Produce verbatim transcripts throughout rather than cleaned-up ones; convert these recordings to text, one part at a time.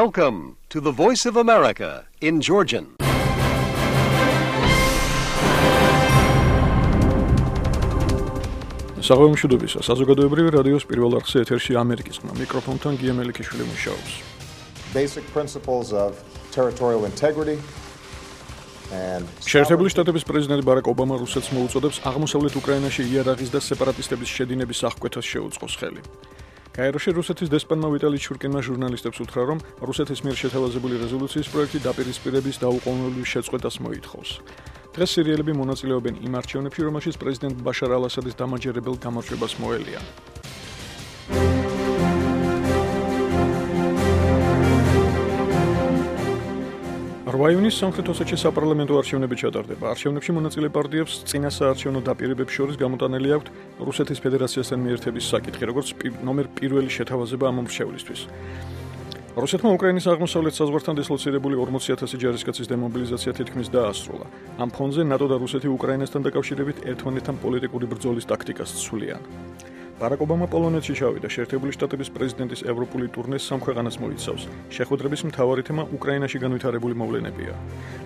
Welcome to the Voice of America in Georgian. საღამო მშვიდობისა. საზოგადოებრივი რადიოს პირველ არხზე ეთერში ამერიკის ხმა. მიკროფონთან გია მელიქიშვილი მუშაობს. Basic principles of territorial integrity and შეერთებული შტატების პრეზიდენტი ბარაკ ობამა რუსეთს მოუწოდებს აღმოსავლეთ უკრაინაში იარაღის და სეპარატისტების შედინების აღკვეთას შეუწყოს ხელი. გაეროში რუსეთის დესპანმა ვიტალი ჩურკინმა ჟურნალისტებს უთხრა, რომ რუსეთის მიერ შეთავაზებული რეზოლუციის პროექტი დაპირისპირების დაუყოვნებლივ შეწყვეტას მოითხოვს. დღეს სირიელები მონაწილეობენ იმ არჩევნებში, რომელშიც პრეზიდენტ ბაშარ ალ-ასადის დამაჯერებელ გამარჯვებას მოელია. რვა ივნისს სამხრეთ ოსეთში საპარლამენტო არჩევნები ჩატარდება. არჩევნებში მონაწილე პარტიებს წინა საარჩევნო დაპირებებს შორის გამოტანილი აქვთ რუსეთის ფედერაციასთან მიერთების საკითხი, როგორც ნომერ პირველი შეთავაზება ამ მრჩევლისთვის. რუსეთმა უკრაინის აღმოსავლეთ საზღვართან დისლოცირებული ორმოცი ათასი ჯარისკაცის დემობილიზაცია თითქმის დაასრულა. ამ ფონზე ნატო და რუსეთი უკრაინასთან დაკავშირებით ერთმანეთთან პოლიტიკური ბრძოლის ტაქტიკას ცვლიან. ბარაკ ობამა პოლონეთში ჩავიდა. შეერთებული შტატების პრეზიდენტის ევროპული ტურნეს სამ ქვეყანას მოიცავს. შეხვედრების მთავარი თემა უკრაინაში განვითარებული მოვლენებია.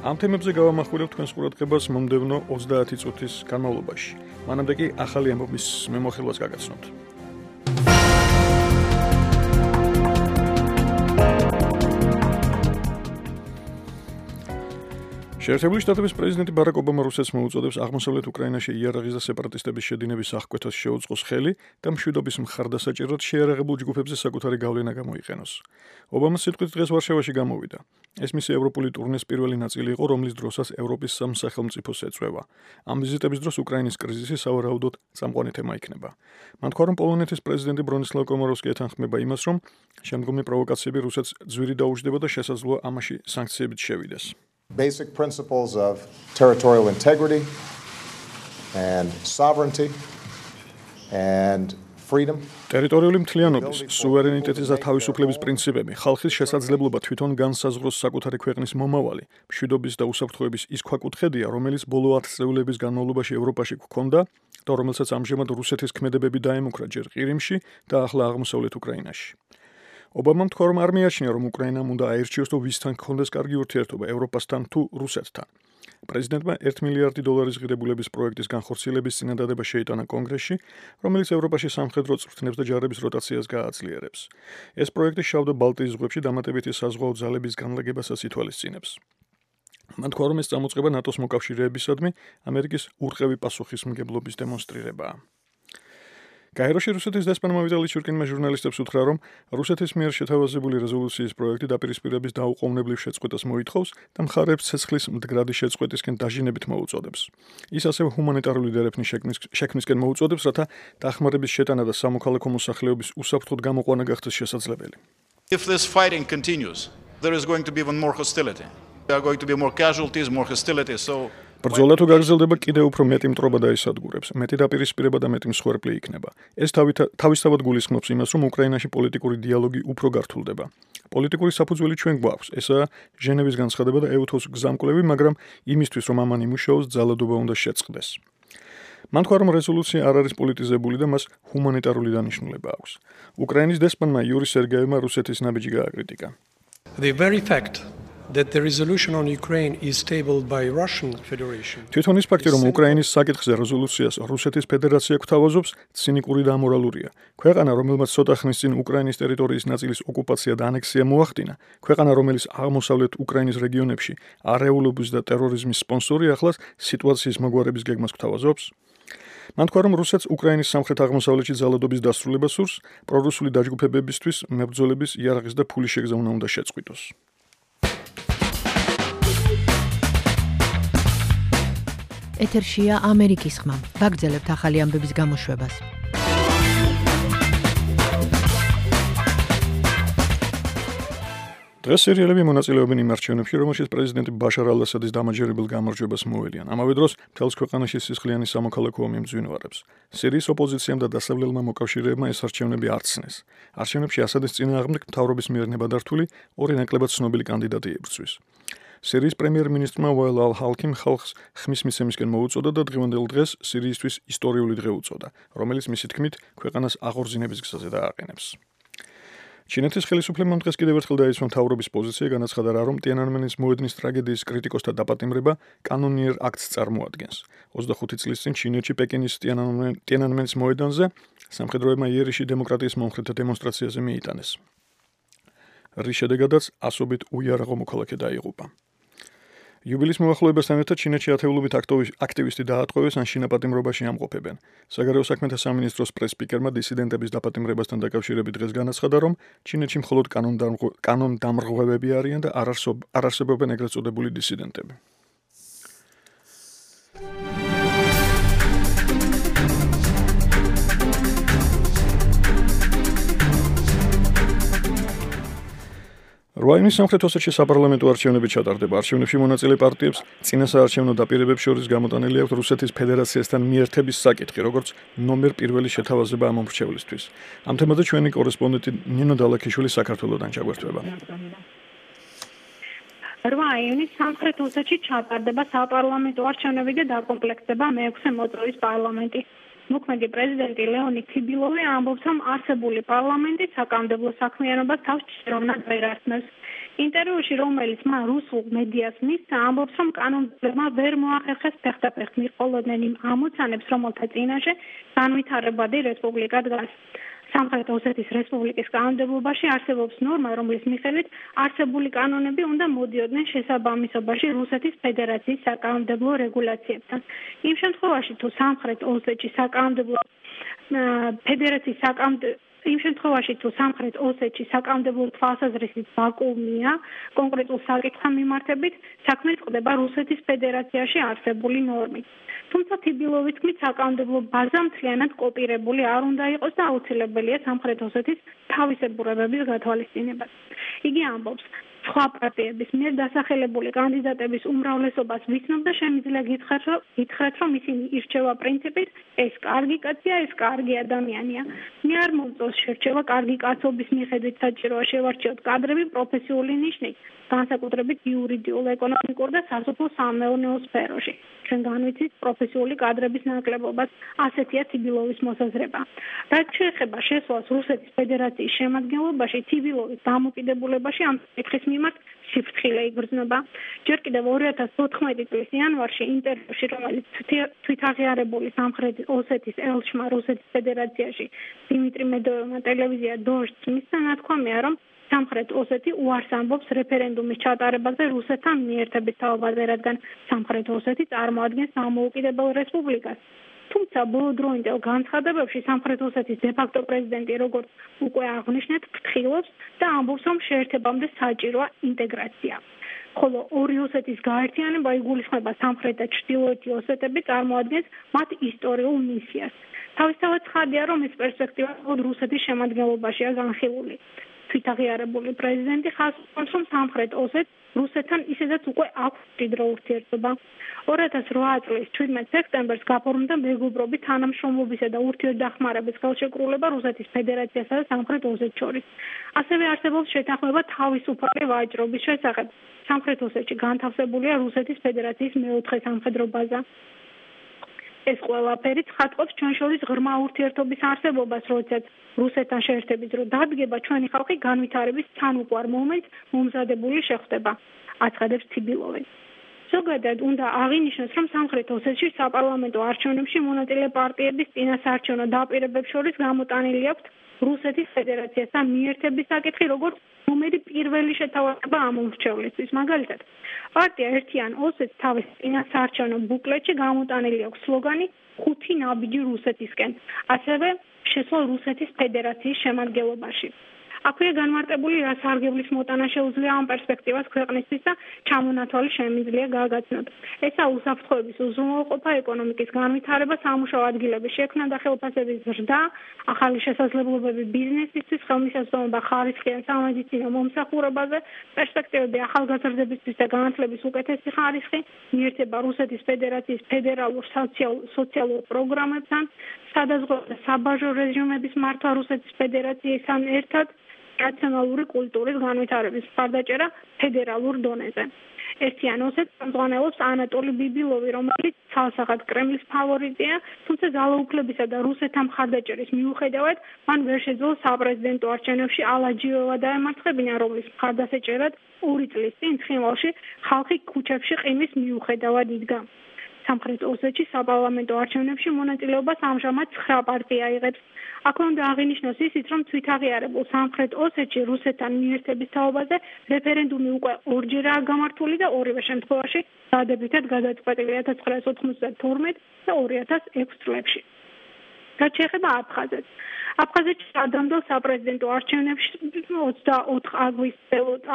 ამ თემებზე გავამახვილებ თქვენს ყურადღებას მომდევნო ოცდაათი წუთის განმავლობაში. მანამდე კი ახალი ამბების მემოხილვას გაგაცნობთ. შეერთებული შტატების პრეზიდენტი ბარაკ ობამა რუსეთს მოუწოდებს აღმოსავლეთ უკრაინაში იარაღის და სეპარატისტების შედინების აღკვეთას შეუწყოს ხელი და მშვიდობის მხარდასაჭერად შეიარაღებულ ჯგუფებზე საკუთარი გავლენა გამოიყენოს. ობამას სიტყვით დღეს ვარშავაში გამოვიდა. ეს მისი ევროპული ტურნეს პირველი ნაწილი იყო, რომლის დროსაც ევროპის სამ სახელმწიფოს ეწვევა. ამ ვიზიტების დროს უკრაინის კრიზისი სავარაუდოდ წამყვანი თემა იქნება. მან თქვა, რომ პოლონეთის პრეზიდენტი ბრონისლავ კომაროვსკი ეთანხმება იმას, რომ შემდგომი პროვოკაციები რუსეთს ძვირი დაუჯდება და შესაძლოა ამაში სანქციებით შევიდეს. Basic principles of territorial integrity and sovereignty and freedom. ტერიტორიული მთლიანობის, სუვერენიტეტის და თავისუფლების პრინციპები, ხალხის შესაძლებლობა თვითონ განსაზღვროს საკუთარი ქვეყნის მომავალი, მშვიდობის და უსაფრთხოების ის ქვაკუთხედია, რომელიც ბოლო ათწლეულების განმავლობაში ევროპაში გვქონდა და რომელსაც ამჟამად რუსეთის ქმედებები დაემუქრა ჯერ ყირიმში და ახლა აღმოსავლეთ უკრაინაში. ობამამ თქვა, რომ არ მიაჩნია, რომ უკრაინამ უნდა აირჩიოს თუ ვისთან გქონდეს კარგი ურთიერთობა, ევროპასთან თუ რუსეთთან. პრეზიდენტმა ერთი მილიარდი დოლარის ღირებულების პროექტის განხორციელების წინადადება შეიტანა კონგრესში, რომელიც ევროპაში სამხედრო წვრთნებს და ჯარების როტაციას გააძლიერებს. ეს პროექტი შავ და ბალტიის ზღვებში დამატებითი საზღვაო ძალების განლაგებასაც ითვალისწინებს. მან თქვა, რომ ეს წამოწყება ნატოს მოკავშირეებისადმი ამერიკის ურყევი პასუხისმგებლობის დემონსტრირებაა. გაეროში რუსეთის დესპანმა ვიტალი ჩურკინმა ჟურნალისტებს უთხრა, რომ რუსეთის მიერ შეთავაზებული რეზოლუციის პროექტი დაპირისპირების დაუყოვნებლივ შეწყვეტას მოითხოვს და მხარეებს ცეცხლის მდგრადი შეწყვეტისკენ დაჟინებით მოუწოდებს. ის ასევე ჰუმანიტარული დერეფნის შექმნისკენ მოუწოდებს, რათა დახმარების შეტანა და სამოქალაქო მოსახლეობის უსაფრთხოდ გამოყვანა გახდეს შესაძლებელი. If this fighting continues, there is going to be even more hostility. There are going to be more casualties, more hostility. So ბრძოლა თუ გაგრძელდება, კიდევ უფრო მეტი მტრობა დაისადგურებს, მეტი დაპირისპირება და მეტი მსხვერპლი იქნება. ეს თავისთავად გულისხმობს იმას, რომ უკრაინაში პოლიტიკური დიალოგი უფრო გართულდება. პოლიტიკური საფუძველი ჩვენ გვაქვს, ესაა ჟენევის განცხადება და ეუთოს გზამკვლევი, მაგრამ იმისთვის, რომ ამან იმუშაოს, ძალადობა უნდა შეწყდეს. მან თქვა, რომ რეზოლუცია არ არის პოლიტიზებული და მას ჰუმანიტარული დანიშნულება აქვს. უკრაინის დესპანმა იური სერგეევმა რუსეთის ნაბიჯი გააკრიტიკა. The very fact that the resolution on Ukraine is tabled by Russian Federation. თვითონ ის ფაქტი, რომ უკრაინის საკითხზე რეზოლუციას რუსეთის ფედერაცია გვთავაზობს, ცინიკური და ამორალურია. ქვეყანა, რომელმაც ცოტა ხნის წინ უკრაინის ტერიტორიის ნაწილის ოკუპაცია და ანექსია მოახდინა, ქვეყანა, რომელიც აღმოსავლეთ უკრაინის რეგიონებში არეულობის და ტერორიზმის სპონსორი, ახლაც სიტუაციის მოგვარების გეგმას გვთავაზობს. მან თქვა, რომ რუსეთს უკრაინის სამხრეთ აღმოსავლეთში ძალადობის დასრულება სურს, პრორუსული დაჯგუფებებისთვის მებრძოლების იარაღის და ფულის შეგზავნა უნდა შეწყვიტოს. ეთერშია ამერიკის ხმა. ვაგრძელებთ ახალი ამბების გამოშვებას. დღეს სირიელები მონაწილეობენ იმ არჩევნებში, რომელშიც პრეზიდენტი ბაშარ ალ-ასადის დამაჯერებელ გამარჯვებას მოელიან. ამავე დროს მთელს ქვეყანაში სისხლიანი სამოქალაქო ომი მძვინვარებს. სირიის ოპოზიციამ და დასავლელმა მოკავშირეებმა ეს არჩევნები არ ცნეს. არჩევნებში ასადის წინააღმდეგ მთავრობის მიერ ნებადართული ორი ნაკლებად ცნობილი კანდიდატი იბრძვის. სირიის პრემიერ-მინისტრმა ვაილ ალ-ჰალკიმ ხალხს ხმის მიცემისკენ მოუწოდა და დღევანდელ დღეს სირიისთვის ისტორიული დღე უწოდა, რომელიც მისი თქმით ქვეყანას აღორძინების გზაზე დააყენებს. ჩინეთის ხელისუფლებამ დღეს კიდევ ერთხელ დაისვა მთავრობის პოზიცია, განაცხადა რა, რომ ტიანანმენის მოედნის ტრაგედიის კრიტიკოსთა დაპატიმრება კანონიერ აქტს წარმოადგენს. ოცდახუთი წლის წინ ჩინეთში პეკინის ტიანანმენის მოედანზე სამხედროებმა იერიში დემოკრატიის მომხრეთა დემონსტრაციაზე მიიტანეს. რის შედეგადაც ასობით უიარაღო მოქალაქე დაიღუპა. იუბილის მოახლოებასთან ერთად ჩინეთში ათეულობით აქტივისტი დაატყვევეს ან შინაპატიმრობაში ამყოფებენ. საგარეო საქმეთა სამინისტროს პრეს-სპიკერმა დისიდენტების დაპატიმრებასთან დაკავშირებით დღეს განაცხადა, რომ ჩინეთში მხოლოდ კანონდამრღვევები არიან და არ არსებობენ ეგრეთ წოდებული დისიდენტები. რუაინის სამხრეთ ოსეთში საპარლამენტო არჩევნები ჩატარდება. არჩევნებში მონაწილე პარტიებს წინასაარჩევნო დაპირებებს შორის გამოტანილი აქვს რუსეთის ფედერაციასთან მიერთების საკითხი, როგორც ნომერ პირველი შეთავაზება ამ მომრჩევლისთვის. ამ თემაზე ჩვენი კორესპონდენტი ნინო დალაქიშვილი საქართველოდან ჩაგვერთვება. რუაინის სამხრეთ ოსეთში ჩატარდება საპარლამენტო არჩევნები და დაკომპლექტდება მეექვსე მოწვევის პარლამენტი. მოქმედი პრეზიდენტი ლეონიდ თიბილოვი ამბობს, რომ არსებული პარლამენტი საკანონმდებლო საქმიანობას თავს ჭიროვნად ვერ ასმევს. ინტერვიუში, რომელიც მან რუსულ მედიას მისცა, ამბობს, რომ კანონმდებლმა ვერ მოახერხეს ფეხდაფეხ მიყოლოდნენ იმ ამოცანებს, რომელთა წინაშე განვითარებადი რესპუბლიკა დგას. სამხრეთ ოსეთის რესპუბლიკის კანონმდებლობაში არსებობს ნორმა, რომლის მიხედვით არსებული კანონები უნდა მოდიოდნენ შესაბამისობაში რუსეთის ფედერაციის საკანონმდებლო რეგულაციებთან. იმ შემთხვევაში, თუ სამხრეთ ოსეთში საკანონმდებლო ფედერაციის საკანონმდებლო იმ შემთხვევაში, თუ სამხრეთ ოსეთში საკანონმდებლო თვალსაზრისით ვაკუუმია კონკრეტულ საკითხთან მიმართებით, საქმე წყდება რუსეთის ფედერაციაში არსებული ნორმით. თუმცა თიბილოვის თქმით, საკანონმდებლო ბაზა მთლიანად კოპირებული არ უნდა იყოს და აუცილებელია სამხრეთ ოსეთის თავისებურებების გათვალისწინება. იგი ამბობს, სხვა პარტიების მიერ დასახელებული კანდიდატების უმრავლესობას ვიცნობ და შემიძლია გითხრათ, რომ ისინი ირჩევა პრინციპით, ეს კარგი კაცია, ეს კარგი ადამიანია. მე არ მომწონს შერჩევა კარგი კაცობის მიხედვით, საჭიროა შევარჩიოთ კადრები პროფესიული ნიშნით, განსაკუთრებით იურიდიულ, ეკონომიკურ და სასოფლო-სამეურნეო სფეროში. ჩვენ განვიცით პროფესიული კადრების ნაკლებობას, ასეთია თიბილოვის მოსაზრება. რაც შეეხება შესვლას რუსეთის ფედერაციის შემადგენლობაში, თიბილოვის დამოკიდებულებაში ამ საკითხის მიმართ სიფრთხილე იგრძნობა. ჯერ კიდევ ორი ათას ოთხმეტი წლის იანვარში ინტერვიუში, რომელიც თვითაღიარებული სამხრეთ ოსეთის ელჩმა რუსეთის ფედერაციაში დიმიტრი მედოვევმა ტელევიზია დოჟდს მისცა, ნათქვამია, რომ სამხრეთ ოსეთი უარს ამბობს რეფერენდუმის ჩატარებაზე რუსეთთან მიერთების თაობაზე, რადგან სამხრეთ ოსეთი წარმოადგენს დამოუკიდებელ რესპუბლიკას. თუმცა ბოლო დროინდელ განცხადებებში სამხრეთ ოსეთის დე-ფაქტო პრეზიდენტი, როგორც უკვე აღნიშნეთ, ფრთხილობს და ამბობს, რომ შეერთებამდე საჭიროა ინტეგრაცია. ხოლო ორი ოსეთის გაერთიანება იგულისხმება სამხრეთ და ჩრდილოეთი ოსეტები წარმოადგენს მათ ისტორიულ მისიას. თავისთავად ცხადია, რომ ეს პერსპექტივა მხოლოდ რუსეთის შემადგენლობაშია განხილული. თვითაღიარებული პრეზიდენტი ხაზს უსვამს, რომ სამხრეთ ოსეთს რუსეთთან ისედაც უკვე აქვს მჭიდრო ურთიერთობა. ორი ათას რვა წლის ჩვიდმეტ სექტემბერს გაფორმდა მეგობრობის თანამშრომლობისა და ურთიერთდახმარების ხელშეკრულება რუსეთის ფედერაციასა და სამხრეთ ოსეთს შორის. ასევე არსებობს შეთანხმება თავისუფალი ვაჭრობის შესახებ. სამხრეთ ოსეთში განთავსებულია რუსეთის ფედერაციის მეოთხე სამხედრო ბაზა. ეს ყველაფერი ცხადყოფს ჩვენ შორის ღრმა ურთიერთობის არსებობას, როდესაც რუსეთთან შეერთების დრო დადგება, ჩვენი ხალხი განვითარების თანუყვარ მომენტს მომზადებული შეხვდება, აცხადებს თიბილოვი. ზოგადად უნდა აღინიშნოს, რომ სამხრეთ ოსეთში საპარლამენტო არჩევნებში მონაწილე პარტიების წინასაარჩევნო დაპირებებს შორის გამოტანილი აქვთ რუსეთის ფედერაციასთან მიერთების საკითხი, როგორც ნომერი პირველი შეთავაზება ამ მომრჩევლისთვის. მაგალითად, პარტია ერთიან ოსეთს თავის წინასაარჩევნო ბუკლეტში გამოტანილი აქვს სლოგანი ხუთი ნაბიჯი რუსეთისკენ, ასევე შესვლა რუსეთის ფედერაციის შემადგენლობაში. აქვეა განმარტებული, რა სარგებლის მოტანა შეუძლია ამ პერსპექტივას ქვეყნისთვის და ჩამონათვალი შემიძლია გაგაცნოთ. ესა უსაფრთხოების უზრუნველყოფა, ეკონომიკის განვითარება, სამუშაო ადგილების შექმნა და ხელფასების ზრდა, ახალი შესაძლებლობები ბიზნესისთვის, ხელმისაწვდომობა ხარისხიან სამედიცინო მომსახურებაზე, პერსპექტივები ახალგაზრდებისთვის და განათლების უკეთესი ხარისხი, მიერთება რუსეთის ფედერაციის ფედერალურ სოციალურ პროგრამებთან, სადაზღვევო და საბაჟო რეჟიმების მართვა რუსეთის ფედერაციასთან ერთად, რაციონალური კულტურის განვითარების მხარდაჭერა ფედერალურ დონეზე. ერთიან ოსეთს ხელმძღვანელობს ანატოლი ბიბილოვი, რომელიც ცალსახად კრემლის ფავორიტია, თუმცა ძალაუფლებისა და რუსეთთან მხარდაჭერის მიუხედავად, მან ვერ შეძლო საპრეზიდენტო არჩევნებში ალაჯიოვა დაემარცხებინა, რომლის მხარდასაჭერად ორი წლის წინ ცხინვალში ხალხი ქუჩებში ყინვის მიუხედავად იდგა. სამხრეთ ოსეთში საპარლამენტო არჩევნებში მონაწილეობას ამჟამად ცხრა პარტია იღებს. აქვე უნდა აღინიშნოს ისიც, რომ თვითაღიარებულ სამხრეთ ოსეთში რუსეთთან მიერთების თაობაზე რეფერენდუმი უკვე ორჯერაა გამართული და ორივე შემთხვევაში დადებითად გადაწყვეტილი ათას ცხრაასი ოცდათორმეტ და ორი ათას ექვსი წლებში. რაც შეეხება აფხაზეთს. აფხაზეთში ადრამდელ საპრეზიდენტო არჩევნებში ოცდაოთხ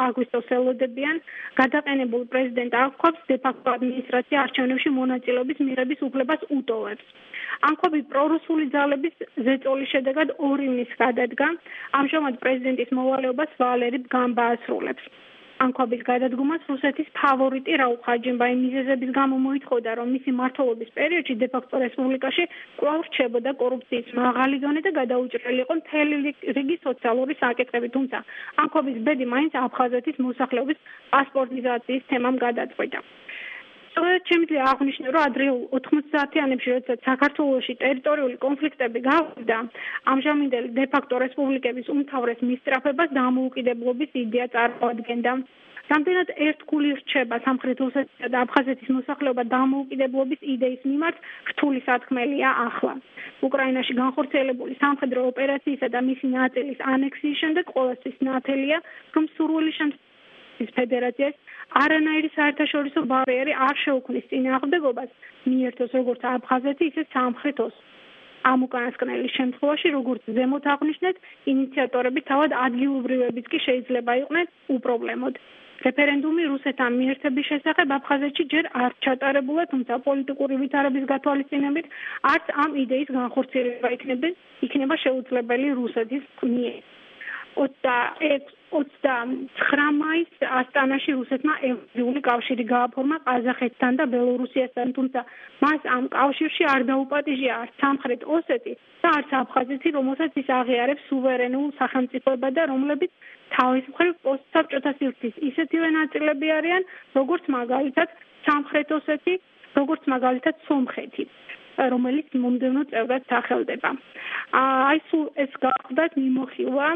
აგვისტოს ელოდებიან გადაყენებულ პრეზიდენტ აკქვაბს დე-ფაქტო ადმინისტრაცია არჩევნებში მონაწილეობის მიღების უფლებას უტოვებს. ანკვაბი პრორუსული ძალების ზეწოლის შედეგად ორი მის გადადგა, ამჟამად პრეზიდენტის მოვალეობას ვალერი ბგანბა ასრულებს. ანკვაბის გადადგომას რუსეთის ფავორიტი რაულ ხაჯიმბაი მიზეზების გამო მოითხოვდა, რომ მისი მმართველობის პერიოდში დე-ფაქტო რესპუბლიკაში კვლავ რჩებოდა კორუფციის მაღალი დონე და გადაუჭრელი იყო მთელი რიგი სოციალური საკითხები, თუმცა ანკვაბის ბედი მაინც აფხაზეთის მოსახლეობის პასპორტიზაციის თემამ გადაწყვიტა. სწორედ შემიძლია აღვნიშნო, რომ ადრეულ ოთხმოცდაათიანებში, როდესაც საქართველოში ტერიტორიული კონფლიქტები გავიდა, ამჟამინდელი დე-ფაქტო რესპუბლიკების უმთავრეს მისწრაფებას დამოუკიდებლობის იდეა წარმოადგენდა. რამდენად ერთგული რჩება სამხრეთ ოსეთისა და აფხაზეთის მოსახლეობა დამოუკიდებლობის იდეის მიმართ, რთული სათქმელია ახლა. უკრაინაში განხორციელებული სამხედრო ოპერაციისა და მისი ნაწილის ანექსიის შემდეგ ყოველთვის ნათელია, რომ სურვილი შემთხვევაში ფედერაციას არანაირი საერთაშორისო ბარიერი არ შეუქმნის წინააღმდეგობას მიერთოს როგორც აფხაზეთი, ისე სამხრეთ ოსი. ამ უკანასკნელის შემთხვევაში, როგორც ზემოთ აღვნიშნეთ, ინიციატორები თავად ადგილობრივებიც კი შეიძლება იყვნენ უპრობლემოდ. რეფერენდუმი რუსეთთან მიერთების შესახებ აფხაზეთში ჯერ არ ჩატარებულა, თუმცა პოლიტიკური ვითარების გათვალისწინებით არც ამ იდეის განხორციელება იქნება შეუძლებელი რუსეთის მიერ. ოცდაცხრა მაისს ასტანაში რუსეთმა ევრაზიული კავშირი გააფორმა ყაზახეთთან და ბელორუსიასთან, თუმცა მას ამ კავშირში არ დაუპატიჟია არც სამხრეთ ოსეთი და არც აფხაზეთი, რომელსაც ის აღიარებს სუვერენულ სახელმწიფოებად და რომლებიც თავის მხრივ პოსტსაბჭოთა სივრცის ისეთივე ნაწილები არიან, როგორც მაგალითად სამხრეთ ოსეთი, როგორც მაგალითად სომხეთი, რომელიც მომდევნო წევრად სახელდება. აი სულ ეს გახლდათ მიმოხილვა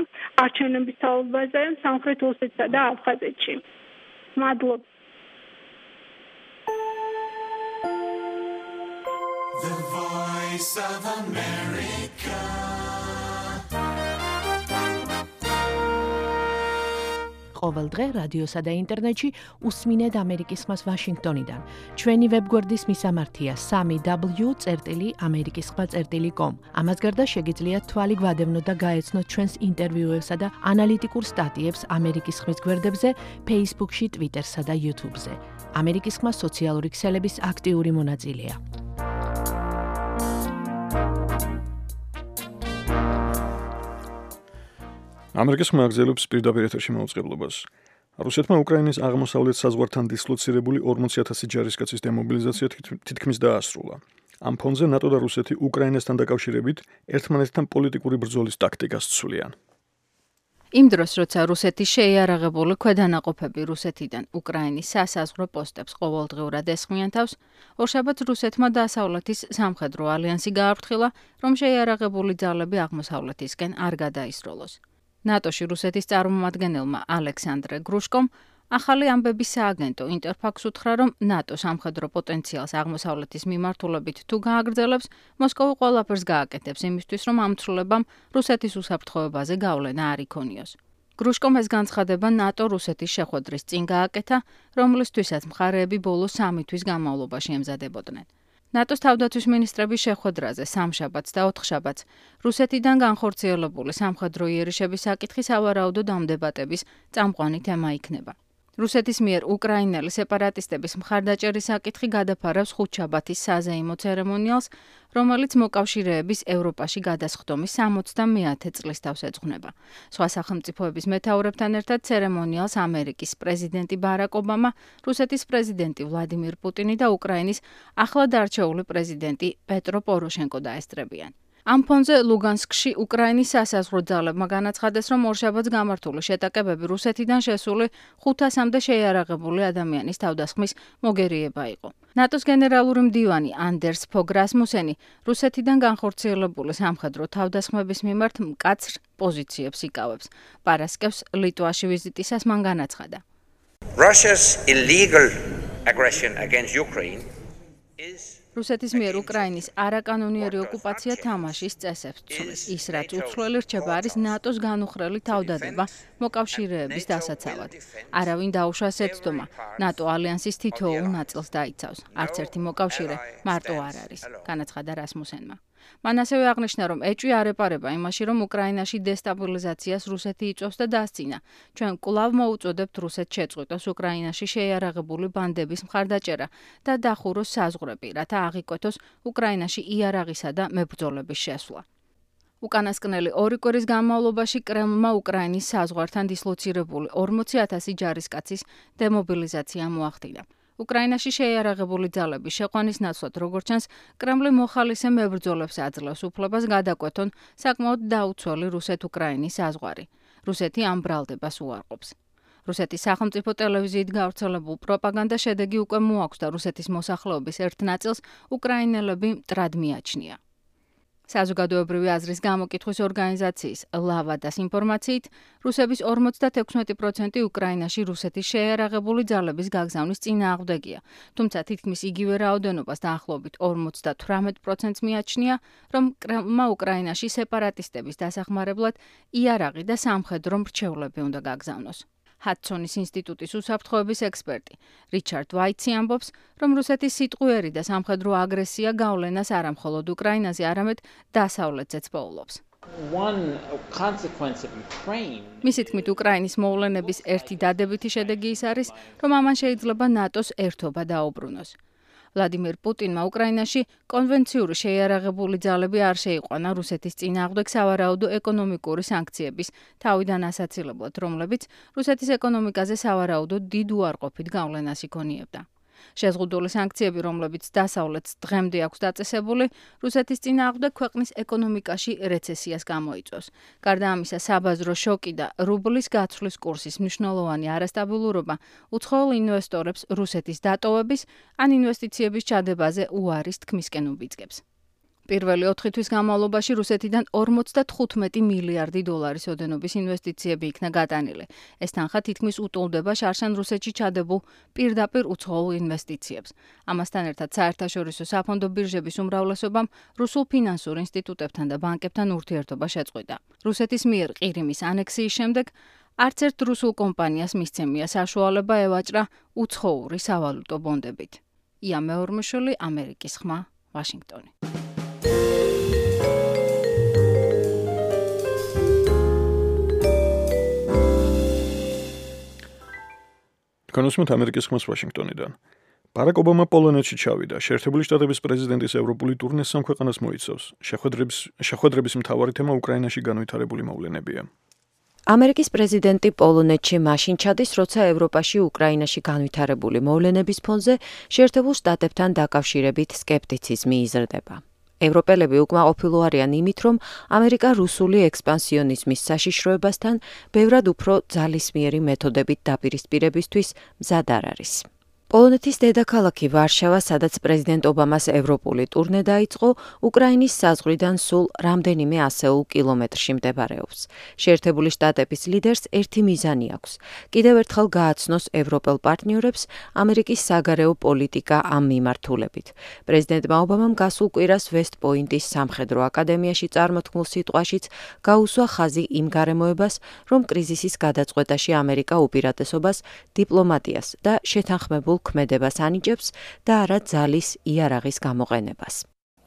არჩევნების თაობაზე სამხრეთ ოსეთსა და აფხაზეთში. მადლობ. The Voice of America. ყოველ დღე რადიოსა და ინტერნეტში უსმინეთ ამერიკის ხმას ვაშინგტონიდან. ჩვენი ვებგვერდის მისამართია სამი დაბლიუ წერტილი ამერიკის ხმა წერტილი კომ. ამას გარდა შეგიძლიათ თვალი გვადევნოთ და გაეცნოთ ჩვენს ინტერვიუებსა და ანალიტიკურ სტატიებს ამერიკის ხმის გვერდებზე, Facebook-ში, Twitter-სა და YouTube-ზე. ამერიკის ხმა სოციალური ქსელების აქტიური მონაწილეა. ამერიკის ხმა აგრძელებს პირდაპირ ეთერში მაუწყებლობას. რუსეთმა უკრაინის აღმოსავლეთ საზღვართან დისლოცირებული ორმოცი ათასი ჯარისკაცის დემობილიზაცია თითქმის დაასრულა. ამ ფონზე ნატო და რუსეთი უკრაინასთან დაკავშირებით ერთმანეთთან პოლიტიკური ბრძოლის ტაქტიკას ცვლიან. იმ დროს, როცა რუსეთი შეიარაღებული ქვედანაყოფები რუსეთიდან უკრაინის სასაზღვრო პოსტებს ყოველდღიურად ესხმიან თავს, ორშაბათს რუსეთმა დასავლეთის სამხედრო ალიანსი გააფრთხილა, რომ შეიარაღებული ძალები აღმოსავლეთისკენ არ გადაისროლოს. ნატოში რუსეთის წარმომადგენელმა ალექსანდრე გრუშკომ ახალი ამბების სააგენტო ინტერფაქს უთხრა, რომ ნატო სამხედრო პოტენციალს აღმოსავლეთის მიმართულებით თუ გააგრძელებს, მოსკოვი ყველაფერს გააკეთებს იმისთვის, რომ ამ ცვლილებამ რუსეთის უსაფრთხოებაზე გავლენა არ იქონიოს. გრუშკომ ეს განცხადება ნატო-რუსეთის შეხვედრის წინ გააკეთა, რომლისთვისაც მხარეები ბოლო სამი თვის განმავლობაში ემზადებოდნენ. ნატოს თავდაცვის მინისტრების შეხვედრაზე სამშაბათს და ოთხშაბათს რუსეთიდან განხორციელებული სამხედრო იერიშების საკითხი სავარაუდოდ ამ დებატების წამყვანი თემა იქნება. რუსეთის მიერ უკრაინელი სეპარატისტების მხარდაჭერის საკითხი გადაფარავს ხუთშაბათის საზეიმო ცერემონიალს, რომელიც მოკავშირეების ევროპაში გადასხდომის სამოცდამეათე წლის თავს ეძღვნება. სხვა სახელმწიფოების მეთაურებთან ერთად ცერემონიალს ამერიკის პრეზიდენტი ბარაკ ობამა, რუსეთის პრეზიდენტი ვლადიმირ პუტინი და უკრაინის ახლად არჩეული პრეზიდენტი პეტრო პოროშენკო დაესწრებიან. ამ ფონზე ლუგანსკში უკრაინის სასაზღვრო ძალებმა განაცხადეს, რომ ორშაბათს გამართული შეტაკებები რუსეთიდან შესული ხუთასამდე შეიარაღებული ადამიანის თავდასხმის მოგერიება იყო. ნატოს გენერალური მდივანი ანდერს ფოგ რასმუსენი რუსეთიდან განხორციელებული სამხედრო თავდასხმების მიმართ მკაცრ პოზიციებს იკავებს. პარასკევს ლიტვაში ვიზიტისას მან განაცხადა. Russia's illegal aggression against Ukraine is რუსეთის მიერ უკრაინის არაკანონიერი ოკუპაცია თამაშის წესებს ცვლის. ის, რაც უცვლელი რჩება, არის ნატოს განუხრელი თავდადება მოკავშირეების დასაცავად. არავინ დაუშვას ეცდომა, ნატო ალიანსის თითოეულ ნაწილს დაიცავს. არც ერთი მოკავშირე მარტო არ არის, განაცხადა რასმუსენმა. მან ასევე აღნიშნა, რომ ეჭვი არ ეპარება იმაში, რომ უკრაინაში დესტაბილიზაციას რუსეთი იწვევს და დასცინა. ჩვენ კვლავ მოუწოდებთ რუსეთს შეწყვიტოს უკრაინაში შეიარაღებული ბანდების მხარდაჭერა და დახუროს საზღვრები, რათა აღიკვეთოს უკრაინაში იარაღისა და მებრძოლების შესვლა. უკანასკნელი ორი კვირის განმავლობაში კრემლმა უკრაინის საზღვართან დისლოცირებული ორმოცი ათასი ჯარისკაცის დემობილიზაცია მოახდინა. უკრაინაში შეიარაღებული ძალების შეყვანის ნაცვლად, როგორც ჩანს, კრემლი მოხალისე მებრძოლებს აძლევს უფლებას გადაკვეთონ საკმაოდ დაუცველი რუსეთ-უკრაინის საზღვარი. რუსეთი ამ ბრალდებას უარყოფს. რუსეთის სახელმწიფო ტელევიზიით გავრცელებულ პროპაგანდა შედეგი უკვე მოაქვს და რუსეთის მოსახლეობის ერთ ნაწილს უკრაინელები მტრად მიაჩნია. საზოგადოებრივი აზრის გამოკითხვის ორგანიზაციის ლავადას ინფორმაციით, რუსების ორმოცდათექვსმეტი პროცენტი უკრაინაში რუსეთის შეიარაღებული ძალების გაგზავნის წინააღმდეგია, თუმცა თითქმის იგივე რაოდენობას დაახლოებით ორმოცდათვრამეტ პროცენტს მიაჩნია, რომ კრემლმა უკრაინაში სეპარატისტების დასახმარებლად იარაღი და სამხედრო მრჩევლები უნდა გაგზავნოს. ჰადსონის ინსტიტუტის უსაფრთხოების ექსპერტი რიჩარდ ვაიტსი ამბობს, რომ რუსეთის სიტყვიერი და სამხედრო აგრესია გავლენას არა მხოლოდ უკრაინაზე, არამედ დასავლეთზეც პოულობს. მისი თქმით, უკრაინის მოვლენების ერთი დადებითი შედეგი ის არის, რომ ამან შეიძლება ნატოს ერთობა დაუბრუნოს. ვლადიმირ პუტინმა უკრაინაში კონვენციური შეიარაღებული ძალები არ შეიყვანა რუსეთის წინააღმდეგ სავარაუდო ეკონომიკური სანქციების თავიდან ასაცილებლად, რომლებიც რუსეთის ეკონომიკაზე სავარაუდო დიდ უარყოფით გავლენას იქონიებდა. შეზღუდული სანქციები, რომლებიც დასავლეთს დღემდე აქვს დაწესებული, რუსეთის წინააღმდეგ ქვეყნის ეკონომიკაში რეცესიას გამოიწვევს. გარდა ამისა, საბაზრო შოკი და რუბლის გაცვლის კურსის მნიშვნელოვანი არასტაბილურობა უცხოელ ინვესტორებს რუსეთის დატოვების ან ინვესტიციების ჩადებაზე უარის თქმისკენ უბიძგებს. პირველი ოთხი თვის განმავლობაში რუსეთიდან ორმოცდათხუთმეტი მილიარდი დოლარის ოდენობის ინვესტიციები იქნა გატანილი. ეს თანხა თითქმის უტოლდება შარშან რუსეთში ჩადებულ პირდაპირ უცხოელ ინვესტიციებს. ამასთან ერთად საერთაშორისო საფონდო ბირჟების უმრავლესობამ რუსულ ფინანსურ ინსტიტუტებთან და ბანკებთან ურთიერთობა შეწყვიტა. რუსეთის მიერ ყირიმის ანექსიის შემდეგ არც ერთ რუსულ კომპანიას მისცემია საშუალება ევაჭრა უცხოური სავალუტო ბონდებით. ია მეორმუშვილი, ამერიკის ხმა, ვაშინგტონი. კონსუმენტ ამერიკის ხმას ვაშინგტონიდან. ბარაკ ობამა პოლონეთში ჩავიდა. შეერთებული შტატების პრეზიდენტის ევროპული ტურნეს სამ ქვეყანას მოიცავს. შეხვედრების შეხვედრების მთავარი თემა უკრაინაში განვითარებული მოვლენებია. ამერიკის პრეზიდენტი პოლონეთში მაშინ ჩადის, როცა ევროპაში უკრაინაში განვითარებული მოვლენების ფონზე შეერთებულ შტატებთან დაკავშირებით სკეპტიციზმი იზრდება. ევროპელები უკმაყოფილო არიან იმით, რომ ამერიკა რუსული ექსპანსიონიზმის საშიშროებასთან ბევრად უფრო ძალისმიერი მეთოდებით დაპირისპირებისთვის მზად არ არის. პოლონეთის დედაქალაქი ვარშავა, სადაც პრეზიდენტ ობამას ევროპული ტურნე დაიწყო, უკრაინის საზღვრიდან სულ რამდენიმე ასეულ კილომეტრში მდებარეობს. შეერთებული შტატების ლიდერს ერთი მიზანი აქვს: კიდევ ერთხელ გააცნოს ევროპელ პარტნიორებს ამერიკის საგარეო პოლიტიკა ამ მიმართულებით. პრეზიდენტმა ობამამ გასულ კვირას ვესტ-პოინტის სამხედრო აკადემიაში წარმოთქმულ სიტყვაშიც გაუსვა ხაზი იმ გარემოებას, რომ კრიზისის გადაწყვეტაში ამერიკა უპირატესობას დიპლომატიას და შეთანხმებულ ქმედებას ანიჭებს და არა ძალის იარაღის გამოყენებას.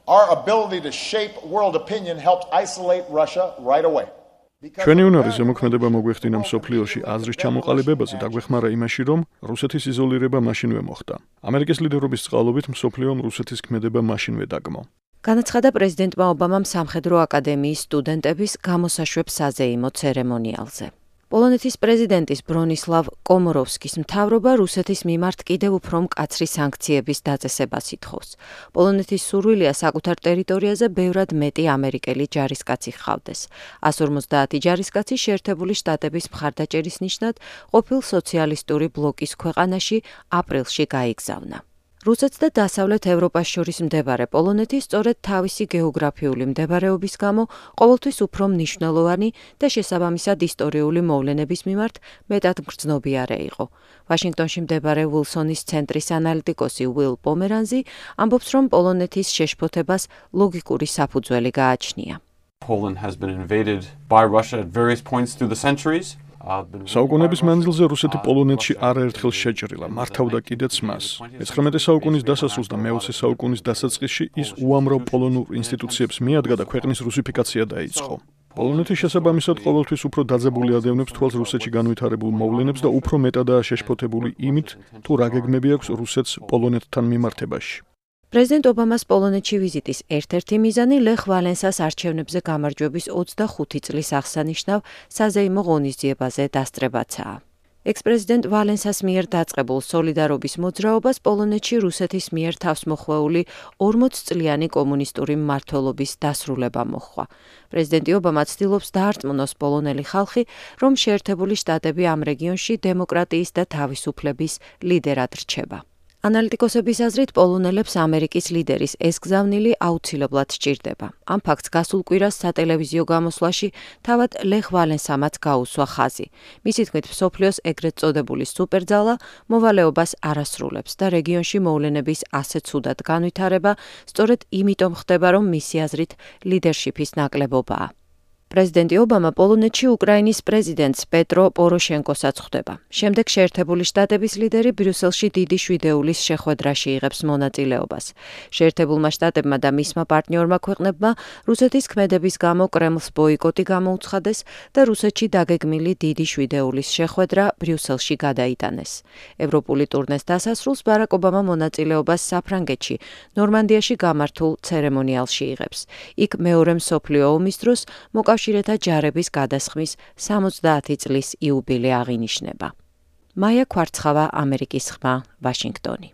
Our ability to shape world opinion helped isolate Russia right away. ჩვენი უნარი ზემოქმედება მოგვეხდინა მსოფლიოში აზრის ჩამოყალიბებაზე და გვეხმარა იმაში, რომ რუსეთის იზოლირება მაშინვე მოხდა. ამერიკის ლიდერობის წყალობით მსოფლიომ რუსეთის ქმედება მაშინვე დაგმო. განაცხადა პრეზიდენტმა ობამამ სამხედრო აკადემიის სტუდენტების გამოსაშვებ საზეიმო ცერემონიალზე. პოლონეთის პრეზიდენტის ბრონისლავ კომოროვსკის მთავრობა რუსეთის მიმართ კიდევ უფრო მკაცრი სანქციების დაწესებას ითხოვს. პოლონეთის სურვილია საკუთარ ტერიტორიაზე ბევრად მეტი ამერიკელი ჯარისკაცი ჰყავდეს. εκατს ორმოცდაათი ჯარისკაცი შეერთებული შტატების მხარდაჭერის ნიშნად ყოფილ სოციალისტური ბლოკის ქვეყანაში აპრილში გაიგზავნა. რუსეთს და დასავლეთ ევროპას შორის მდებარე პოლონეთი სწორედ თავისი გეოგრაფიული მდებარეობის გამო ყოველთვის უფრო მნიშვნელოვანი და შესაბამისად ისტორიული მოვლენების მიმართ მეტად მგრძნობიარე იყო. ვაშინგტონში მდებარე უილსონის ცენტრის ანალიტიკოსი უილ პომერანზი ამბობს, რომ პოლონეთის შეშფოთებას ლოგიკური საფუძველი გააჩნია. Poland has been invaded by Russia at various points through the centuries. საუკუნეების მანძილზე რუსეთი პოლონეთში არაერთხელ შეჭრილა, მართავდა კიდეც მას. მეცხრამეტე საუკუნის დასასრულს და მეოცე საუკუნის დასაწყისში ის უამრავ პოლონურ ინსტიტუციებს მიადგა და ქვეყნის რუსიფიკაცია დაიწყო. პოლონეთის შესაბამისად ყოველთვის უფრო დაძაბული ადევნებს თვალს რუსეთში განვითარებულ მოვლენებს და უფრო მეტადაა შეშფოთებული იმით, თუ რა გეგმები აქვს რუსეთს პოლონეთთან მიმართებაში. პრეზიდენტ ობამას პოლონეთში ვიზიტის ერთ-ერთი მიზანი ლეხ ვალენსას არჩევნებზე გამარჯვების ოცდახუთი წლის აღსანიშნავ საზეიმო ღონისძიებაზე დასწრებაცაა. ექს-პრეზიდენტ ვალენსას მიერ დაწყებულ სოლიდარობის მოძრაობას პოლონეთში რუსეთის მიერ თავსმოხვეული ორმოცწლიანი კომუნისტური მმართველობის დასრულება მოჰყვა. პრეზიდენტი ობამა ცდილობს დაარწმუნოს პოლონელი ხალხი, რომ შეერთებული შტატები ამ რეგიონში დემოკრატიის და თავისუფლების ლიდერად რჩება. ანალიტიკოსების აზრით პოლონელებს ამერიკის ლიდერის ეს გზავნილი აუცილებლად სჭირდება. ამ ფაქტს გასულ კვირას სატელევიზიო გამოსვლაში თავად ლეხ ვალენსამაც გაუსვა ხაზი. მისი თქმით, მსოფლიოს ეგრეთ წოდებული სუპერძალა მოვალეობას არასრულებს და რეგიონში მოვლენების ასეთ ცუდად განვითარება სწორედ იმიტომ ხდება, რომ მისი აზრით ლიდერშიფის ნაკლებობაა. პრეზიდენტი ობამა პოლონეთში უკრაინის პრეზიდენტს პეტრო პოროშენკოსაც ხვდება. შემდეგ შეერთებული შტატების ლიდერი ბრიუსელში დიდი შვიდეულის შეხვედრაში იღებს მონაწილეობას. შეერთებულმა შტატებმა და მისმა პარტნიორმა ქვეყნებმა რუსეთის ქმედების გამო კრემლს ბოიკოტი გამოუცხადეს და რუსეთში დაგეგმილი დიდი შვიდეულის შეხვედრა ბრიუსელში გადაიტანეს. ევროპული ტურნეს დასასრულს ბარაკ ობამა მონაწილეობას საფრანგეთში, ნორმანდიაში გამართულ ცერემონიალში იღებს. იქ მეორე მსოფლიო ომის დროს მოკავშირეთა ჯარების გადასხმის სამოცდაათი წლის იუბილე აღინიშნება. მაია კვარცხავა, ამერიკის ხმა, ვაშინგტონი.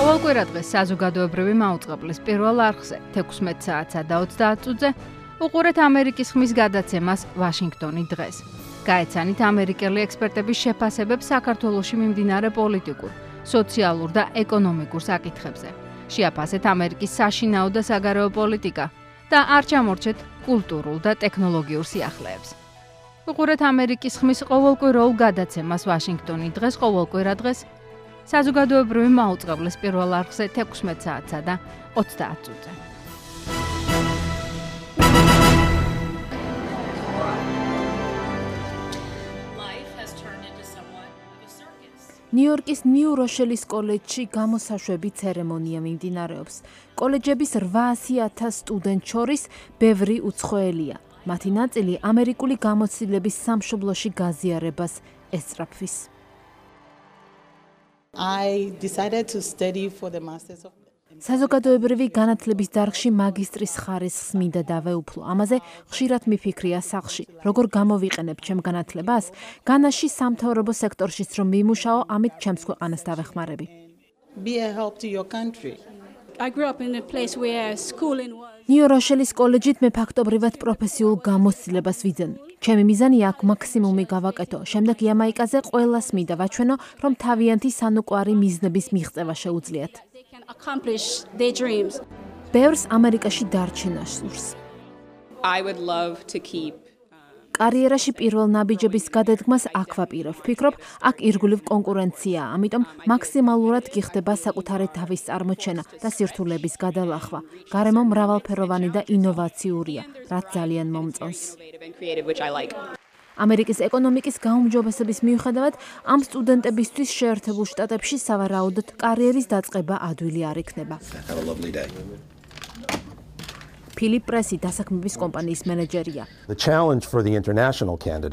ყოველკვირა დღეს საზოგადოებრივი მაუწყებლის პირველ არხზე თექვსმეტ საათსა და ოცდაათ წუთზე უყურეთ ამერიკის ხმის გადაცემას ვაშინგტონი დღეს. გაეცანით ამერიკელი ექსპერტების შეფასებებს საქართველოში მიმდინარე პოლიტიკურ, სოციალურ და ეკონომიკურ საკითხებზე. შეაფასეთ ამერიკის საშინაო და საგარეო პოლიტიკა და არ ჩამორჩეთ კულტურულ და ტექნოლოგიურ სიახლეებს. უყურეთ ამერიკის ხმის ყოველკვირეულ გადაცემას ვაშინგტონი დღეს ყოველკვირა დღეს საზოგადოებრივი მაუწყებლის პირველ არხზე თექვსმეტ საათსა და ოცდაათ წუთზე. ნიუ-იორკის ნიუ-როშელის კოლეჯში გამოსაშვები ცერემონია მიმდინარეობს. კოლეჯების რვაასი ათას სტუდენტ შორის ბევრი უცხოელია. მათი ნაწილი ამერიკული გამოცდილების სამშობლოში გაზიარებას ესწრაფვის. I decided to study for the masters of საზოგადოებრივი განათლების დარგში მაგისტრის ხარისხს მინდა დავეუფლო. ამაზე ხშირად მიფიქრია სახლში. როგორ გამოვიყენებ ჩემ განათლებას? განაში სამთავრობო სექტორშიც რომ ვიმუშაო, ამით ჩემს ქვეყანას დავეხმარები. Be a help to your country. I grew up in a place where schooling was ნიუ-როშელის კოლეჯით მე ფაქტობრივად პროფესიულ გამოცდილებას ვიძენ. ჩემი მიზანია აქ მაქსიმუმი გავაკეთო. შემდეგ იამაიკაზე ყველას მინდა ვაჩვენო, რომ თავიანთი სანუკვარი მიზნების მიღწევა შეუძლიათ. accomplish their dreams. ბევრს ამერიკაში დარჩენა სურს. I would love to keep კარიერაში პირველ ნაბიჯების გადადგმას აქ ვაპირებ. ვფიქრობ, აქ ირგვლივ კონკურენციაა, ამიტომ მაქსიმალურად გიხდება საკუთარი თავის წარმოჩენა და სირთულების გადალახვა. გარემო მრავალფეროვანი და ინოვაციურია, რაც ძალიან მომწონს. ამერიკის ეკონომიკის გაუმჯობესების მიუხედავად, ამ სტუდენტებისთვის შეერთებულ შტატებში სავარაუდოდ კარიერის დაწყება ადვილი არ იქნება. ფილიპ პრესი დასაქმების კომპანიის მენეჯერია.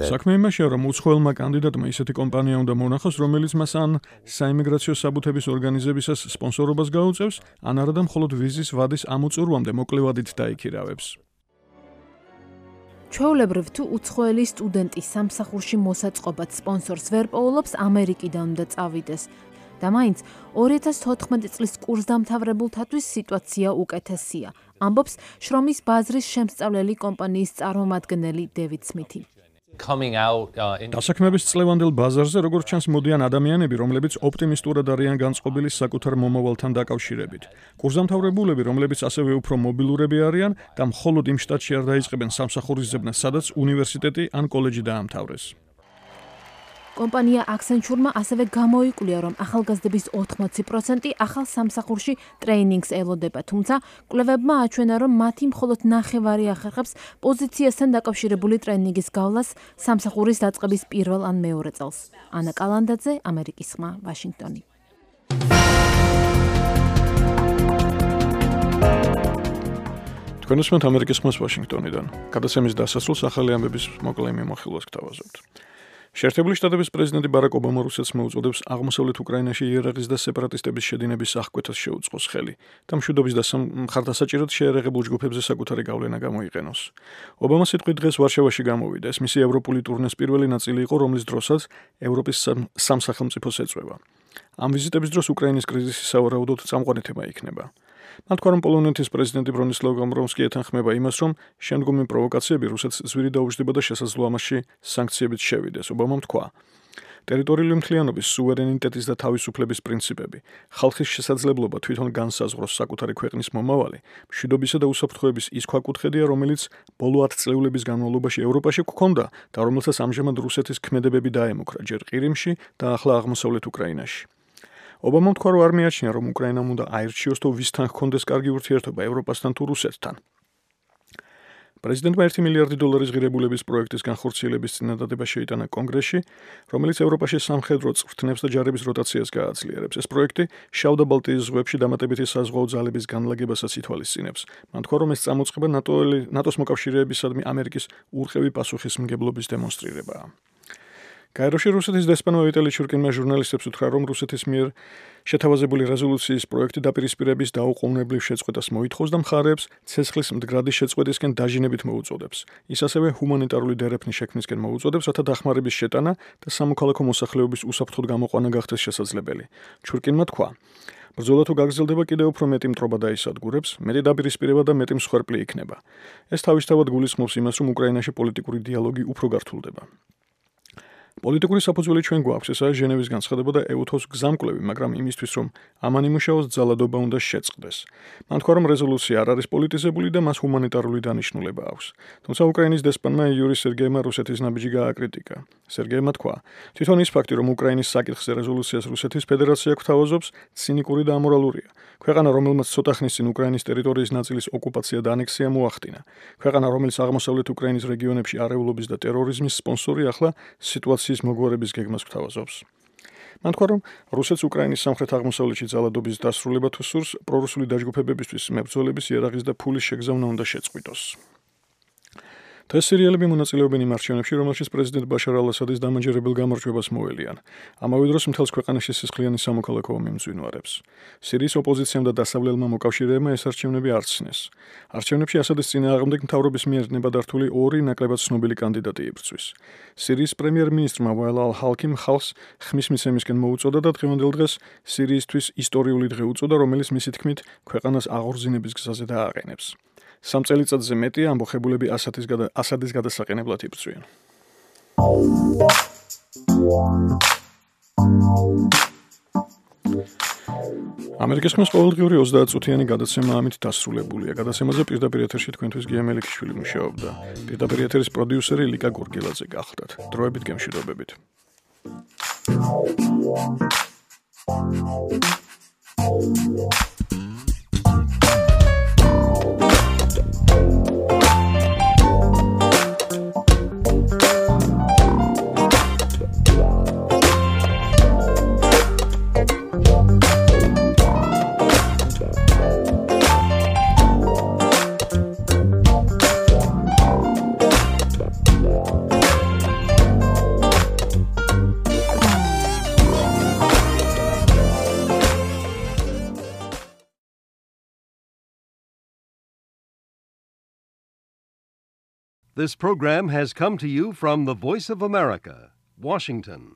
საქმე იმაშია, რომ უცხოელმა კანდიდატმა ისეთი კომპანია უნდა მონახოს, რომელიც მას ან საიმიგრაციო საბუთების ორგანიზებისას სპონსორობას გაუწევს, ან არადა მხოლოდ ვიზის ვადის ამოწურვამდე მოკლევადით დაიქირავებს. ჩვეულებრივ თუ უცხოელი სტუდენტი სამსახურში მოსაწყობად სპონსორს ვერ პოულობს, ამერიკიდან უნდა წავიდეს. და მაინც ორი ათას თოთხმეტი წლის კურსდამთავრებულთათვის სიტუაცია უკეთესია, ამბობს შრომის ბაზრის შემსწავლელი კომპანიის წარმომადგენელი დევიდ სმითი. დასაქმების წლევანდელ ბაზარზე როგორც ჩანს მოდიან ადამიანები, რომლებიც ოპტიმისტურად არიან განწყობილი საკუთარ მომავალთან დაკავშირებით. კურსდამთავრებულები, რომლებიც ასევე უფრო მობილურები არიან და მხოლოდ იმ შტატში არ დაიწყებენ სამსახურის ძებნას, სადაც უნივერსიტეტი ან კოლეჯი დაამთავრეს. კომპანია Accenture-მა ასევე გამოიკვლია, რომ ახალგაზრდების ოთხმოცი პროცენტი ახალ სამსახურში ტრეინინგს ელოდება, თუმცა კვლევებმა აჩვენა, რომ მათი მხოლოდ ნახევარი ახერხებს პოზიციასთან დაკავშირებული ტრეინინგის გავლას სამსახურის დაწყების პირველ ან მეორე წელს. ანა კალანდაძე, ამერიკის ხმა, ვაშინგტონი. თქვენ უსმენთ ამერიკის ხმას ვაშინგტონიდან. გადაცემის დასასრულს ახალი ამბების მოკლე მიმოხილვას გთავაზობთ. შეერთებული შტატების პრეზიდენტი ბარაკ ობამა რუსეთს მოუწოდებს აღმოსავლეთ უკრაინაში იერაღის და სეპარატისტების შედინების აღკვეთას შეუწყოს ხელი და მშვიდობის და მხარდასაჭიროდ შეერაღებულ ჯგუფებზე საკუთარი გავლენა გამოიყენოს. ობამა სიტყვით დღეს ვარშავაში გამოვიდა. ეს მისი ევროპული ტურნეს პირველი ნაწილი იყო, რომლის დროსაც ევროპის სამ სახელმწიფოს ეწვევა. ამ ვიზიტების დროს უკრაინის კრიზისი სავარაუდოდ წამყვანი თემა იქნება. მათ თქვა, რომ პოლონეთის პრეზიდენტი ბრონისლავ კომროვსკი ეთანხმება იმას, რომ შემდგომი პროვოკაციები რუსეთს ზვირი დაუჯდება და შესაძლოა მასში სანქციებით შევიდეს. ობამამ თქვა: ტერიტორიული მთლიანობის, სუვერენიტეტის და თავისუფლების პრინციპები, ხალხის შესაძლებლობა თვითონ განსაზღვროს საკუთარი ქვეყნის მომავალი, მშვიდობისა და უსაფრთხოების ის ქვაკუთხედია, რომელიც ბოლო ათწლეულების განმავლობაში ევროპაში გვქონდა და რომელსაც ამჟამად რუსეთის ქმედებები დაემუქრა ჯერ ყირიმში და ახლა აღმოსავლეთ უკრაინაში. ობამამ თქვა, რომ არ მიაჩნია, რომ უკრაინამ უნდა აირჩიოს თუ ვისთან ჰქონდეს კარგი ურთიერთობა, ევროპასთან თუ რუსეთთან. პრეზიდენტმა ერთი მილიარდი დოლარის ღირებულების პროექტის განხორციელების წინადადება შეიტანა კონგრესში, რომელიც ევროპაში სამხედრო წვრთნებს და ჯარების როტაციას გააძლიერებს. ეს პროექტი შავ და ბალტიის ზღვებში დამატებითი საზღვაო ძალების განლაგებასაც ითვალისწინებს. მან თქვა, რომ ეს წამოწყება ნატოს მოკავშირეებისადმი ამერიკის ურყევი პასუხისმგებლობის დემონსტრირებაა. გაეროში რუსეთის დესპანმა ვიტალი ჩურკინმა ჟურნალისტებს უთხრა, რომ რუსეთის მიერ შეთავაზებული რეზოლუციის პროექტი დაპირისპირების დაუყოვნებლივ შეწყვეტას მოითხოვს და მხარეებს ცეცხლის მდგრადი შეწყვეტისკენ დაჟინებით მოუწოდებს. ის ასევე ჰუმანიტარული დერეფნის შექმნისკენ მოუწოდებს, რათა დახმარების შეტანა და სამოქალაქო მოსახლეობის უსაფრთხოდ გამოყვანა გახდეს შესაძლებელი. ჩურკინმა თქვა: ბრძოლა თუ გაგრძელდება, კიდევ უფრო მეტი მტრობა დაისადგურებს, მეტი დაპირისპირება და მეტი მსხვერპლი იქნება. ეს თავისთავად გულისხმობს იმას, რომ უკრაინაში პოლიტიკური დიალოგი უფრო გართულდება. პოლიტიკური საფუძველი ჩვენ გვაქვს, ესაა ჟენევის განცხადება და ეუთოს გზამკვლევი, მაგრამ იმისთვის, რომ ამან იმუშაოს, ძალადობა უნდა შეწყდეს. მან თქვა, რომ რეზოლუცია არ არის პოლიტიზებული და მას ჰუმანიტარული დანიშნულება აქვს. თუმცა უკრაინის დესპანმა იური სერგეიმმა რუსეთის ნაბიჯი გააკრიტიკა. სერგეიმმა თქვა: თვითონ ის ფაქტი, რომ უკრაინის საკითხზე რეზოლუციას რუსეთის ფედერაცია გვთავაზობს, ცინიკური და ამორალურია. ქვეყანა, რომელმაც ცოტა ხნის წინ უკრაინის ტერიტორიის ნაწილის ოკუპაცია და ანექსია მოახდინა. ქვეყანა, რომელიც აღმოსავლეთ უკრაინის რეგიონებში არეულობის და ტერორიზმის სპონსორი, ახლა სიტუაციის მოგვარების გეგმას გვთავაზობს. მან თქვა, რომ რუსეთს უკრაინის სამხრეთ აღმოსავლეთში ძალადობის დასრულება თუ სურს, პრორუსული დაჯგუფებებისთვის მებრძოლების იარაღის და ფულის შეგზავნა უნდა შეწყვიტოს. დღეს სირიელები მონაწილეობენ იმ არჩევნებში, რომელშიც პრეზიდენტ ბაშარ ალ-ასადის დამაჯერებელ გამარჯვებას მოელიან. ამავე დროს მთელს ქვეყანაში სისხლიანი სამოქალაქო ომი მძვინვარებს. სირიის ოპოზიციამ და დასავლელმა მოკავშირეებმა ეს არჩევნები არ ცნეს. არჩევნებში ასადის წინააღმდეგ მთავრობის მიერ ნებადართული ორი ნაკლებად ცნობილი კანდიდატი იბრძვის. სირიის პრემიერ-მინისტრმა ვალ ალ-ჰალკიმ ხალხს ხმის მიცემისკენ მოუწოდა და დღევანდელ დღეს სირიისთვის ისტორიული დღე უწოდა, რომელიც მისი თქმით ქვეყანას აღორძინების გზაზე დააყენებს. სამ წელიწადზე მეტი ამბოხებულები ასადის გადა ასადის გადასაყენებლად იბრძვიან. ამერიკის ხმის ყოველდღიური ოცდაათწუთიანი გადაცემა ამით დასრულებულია. გადაცემაზე პირდაპირ ეთერში თქვენთვის გია მელიქიშვილი მუშაობდა. პირდაპირ ეთერის პროდიუსერი ლიკა გორგილაძე გახლდათ. დროებით გემშვიდობებით. This program has come to you from the Voice of America, Washington.